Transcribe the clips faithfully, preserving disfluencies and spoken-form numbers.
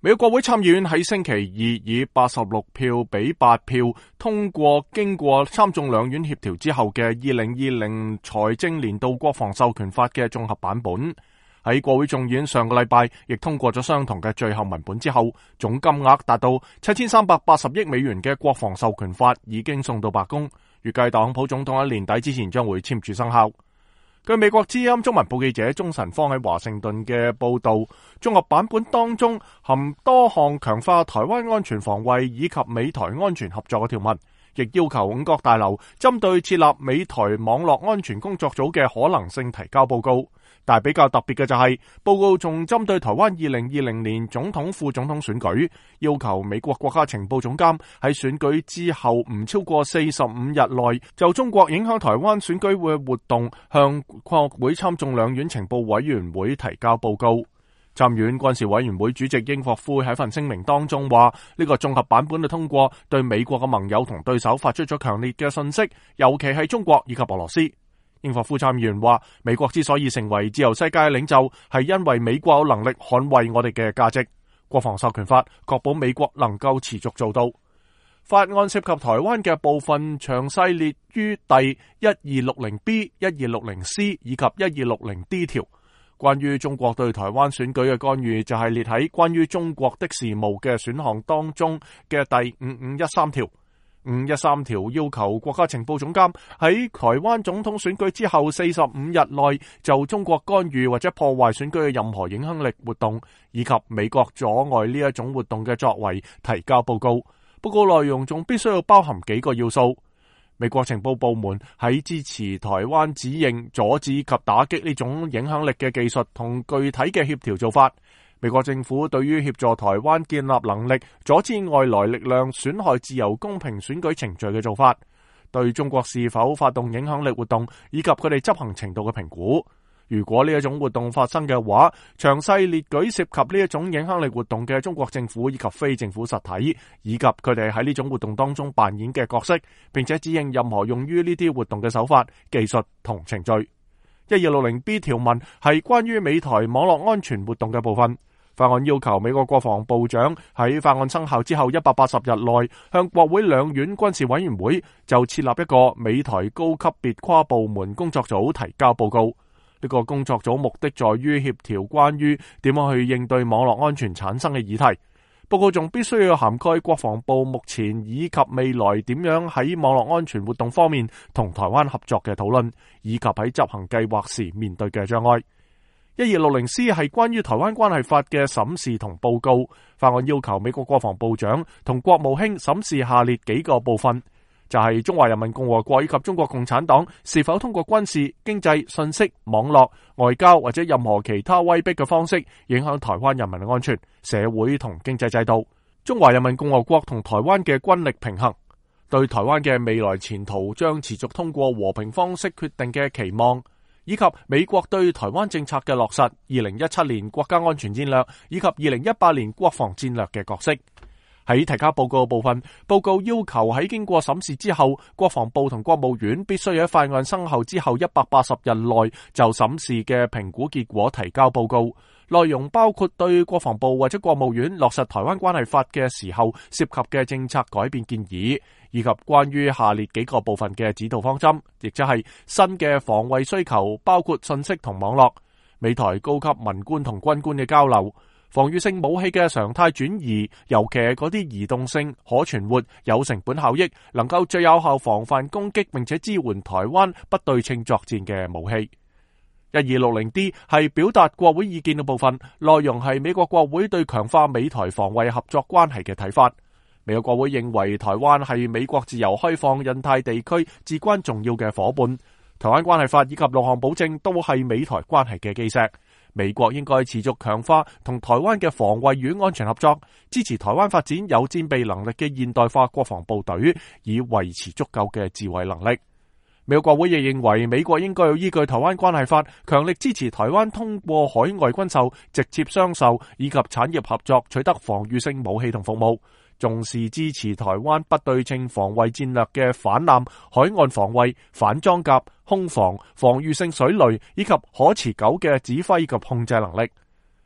美國國會參議院喺星期二以八十六票比八票通過經過參眾兩院協調之後嘅二零二零財政年度國防授權法嘅綜合版本。喺國會眾院上個禮拜亦通過咗相同嘅最後文本之後，總金額達到七千三百八十億美元嘅國防授權法已經送到白宮，預計特朗普總統喺年底之前將會簽署生效。據美國之音中文部記者鍾晨芳喺華盛頓嘅報道，綜合版本當中含多項強化台灣安全防衛以及美台安全合作嘅條文，亦要求五角大樓針對設立美台網絡安全工作組嘅可能性提交報告。但係比較特別嘅就係、是、報告仲針對台灣二零二零年總統副總統選舉，要求美國國家情報總監喺選舉之後唔超過四十五日內就中國影響台灣選舉嘅活動向國會參眾兩院情報委員會提交報告。參院軍事委員會主席英霍夫喺份聲明當中話，呢、這個綜合版本嘅通過對美國嘅盟友同對手發出咗強烈嘅訊息，尤其係中國以及俄羅斯。英霍夫參議員話，美國之所以成為自由世界嘅領袖，係因為美國有能力捍衛我哋嘅價值。國防授權法確保美國能夠持續做到。法案涉及台灣嘅部分詳細列於第一二六零 B、一二六零 C 以及一二六零 D 條。關於中國對台灣選舉嘅干預，就係列喺關於中國的事務嘅選項當中嘅第五五一三條。五一三條要求國家情報總監喺台灣總統選舉之後四十五日內就中國干預或者破壞選舉嘅任何影響力活動以及美國阻礙呢一種活動嘅作為提交報告。報告內容仲必須要包含幾個要素。美國情報部門喺支持台灣指認、阻止及打擊呢種影響力嘅技術同具體嘅協調做法。美國政府對於協助台灣建立能力，阻止外來力量損害自由公平選舉程序嘅做法，對中國是否發動影響力活動以及佢哋執行程度嘅評估。如果呢一種活動發生嘅話，詳細列舉涉及呢一種影響力活動嘅中國政府以及非政府實體，以及佢哋喺呢種活動當中扮演嘅角色，並且指認任何用於呢啲活動嘅手法、技術同程序。一二六零 B 條文係關於美台網絡安全活動嘅部分。法案要求美國國防部長喺法案生效之後一百八十日內向國會兩院軍事委員會就設立一個美台高級別跨部門工作組提交報告。呢個工作組目的在於協調關於點樣去應對網絡安全產生嘅議題。報告仲必須要涵蓋國防部目前以及未來點樣喺網絡安全活動方面同台灣合作嘅討論，以及喺執行計劃時面對嘅障礙。一二六零 C 係關於台灣關係法嘅審視同報告。法案要求美國國防部長同國務卿審視下列幾個部分，就係、是、中華人民共和國以及中國共產黨是否通過軍事、經濟、信息、網絡、外交或者任何其他威逼嘅方式影響台灣人民嘅安全、社會同經濟制度。中華人民共和國同台灣嘅軍力平衡，對台灣嘅未來前途將持續通過和平方式決定嘅期望，以及美國對台灣政策嘅落實，二零一七年國家安全戰略以及二零一八年國防戰略嘅角色。喺提交報告嘅部分，報告要求喺經過審視之後，國防部同國務院必須喺法案生效之後一百八十日內就審視嘅評估結果提交報告。內容包括對國防部或者國務院落實台灣關係法嘅時候涉及嘅政策改變建議，以及關於下列幾個部分嘅指導方針，亦即係新嘅防衛需求，包括信息同網絡、美台高級文官同軍官嘅交流、防禦性武器嘅常態轉移，尤其係嗰啲移動性、可存活、有成本效益，能夠最有效防範攻擊並且支援台灣不對稱作戰嘅武器。一二六零 D 係表達國會意見嘅部分，內容係美國國會對強化美台防衛合作關係嘅睇法。美國國會認為台灣係美國自由開放印太地區至關重要嘅夥伴，台灣關係法以及六項保證都係美台關係嘅基石。美國應該持續強化同台灣嘅防衛與安全合作，支持台灣發展有戰備能力嘅現代化國防部隊，以維持足夠嘅自衛能力。美國國會亦認為美國應該要依據台灣關係法，強力支持台灣通過海外軍售、直接商售以及產業合作取得防禦性武器同服務，重視支持台灣不對稱防衛戰略嘅反艦、海岸防衛、反裝甲、空防、防禦性水雷以及可持久嘅指揮及控制能力。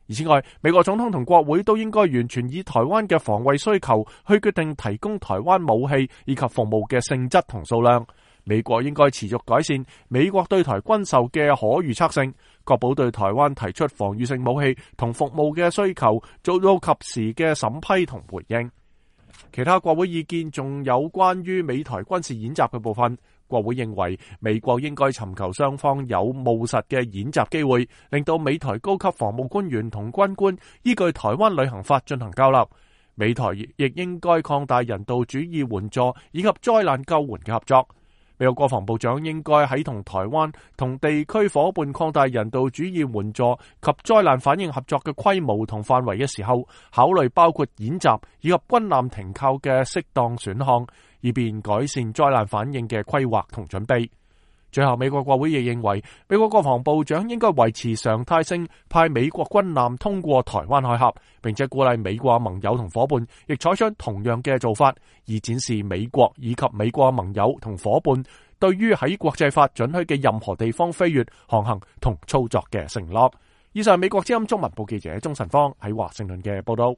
而此外，美國總統同國會都應該完全以台灣嘅防衛需求去決定提供台灣武器以及服務嘅性質同數量。美國應該持續改善美國對台軍售嘅可預測性，確保對台灣提出防禦性武器同服務嘅需求做到及時嘅審批同回應。其他國會意見仲有關於美台軍事演習嘅部分。國會認為美國應該尋求雙方有務實嘅演習機會，令到美台高級防務官員同軍官依據台灣旅行法進行交流。美台亦應該擴大人道主義援助以及災難救援嘅合作。美國國防部長應該喺同台灣同地區夥伴擴大人道主義援助及災難反應合作嘅規模同範圍嘅時候，考慮包括演習以及軍艦停靠嘅適當選項，以便改善災難反應嘅規劃同準備。最後，美國國會亦認為，美國國防部長應該維持常態性派美國軍艦通過台灣海峽，並且鼓勵美國盟友同夥伴亦採取同樣嘅做法，以展示美國以及美國盟友同夥伴對於喺國際法准許嘅任何地方飛越、航行同操作嘅承諾。以上美國之音中文部記者鍾晨芳喺華盛頓嘅報道。